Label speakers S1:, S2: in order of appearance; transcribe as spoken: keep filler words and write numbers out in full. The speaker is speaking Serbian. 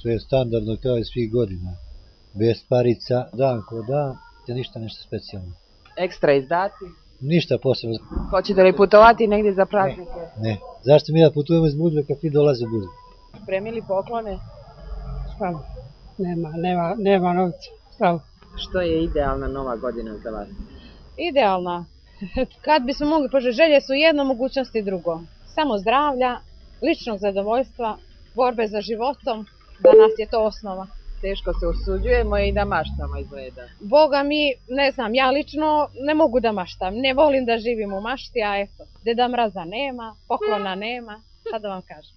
S1: što je standardno kao i svih godina. Bez parica, dan ko dan, te ništa nešto specijalno.
S2: Ekstra izdaci?
S1: Ništa posebno.
S2: Hoćete li putovati negdje za praznike?
S1: Ne, ne. Zašto mi da putujemo iz Budve kad ti dolaze u Budvu?
S2: Spremili poklone?
S3: Šta? Nema, nema, nema novca. Šta?
S2: Što je idealna nova godina za vas?
S4: Idealna. Kad bismo mogli poželjeti, želje su jedno, mogućnosti drugo. Samo zdravlja, ličnog zadovoljstva, borbe za životom, da nas je to osnova.
S2: Teško se usuđujemo i da maštamo izgleda.
S4: Boga mi, ne znam, ja lično ne mogu da maštam. Ne volim da živim u mašti, a eto, Deda Mraza nema, poklona nema, šta da vam kažem.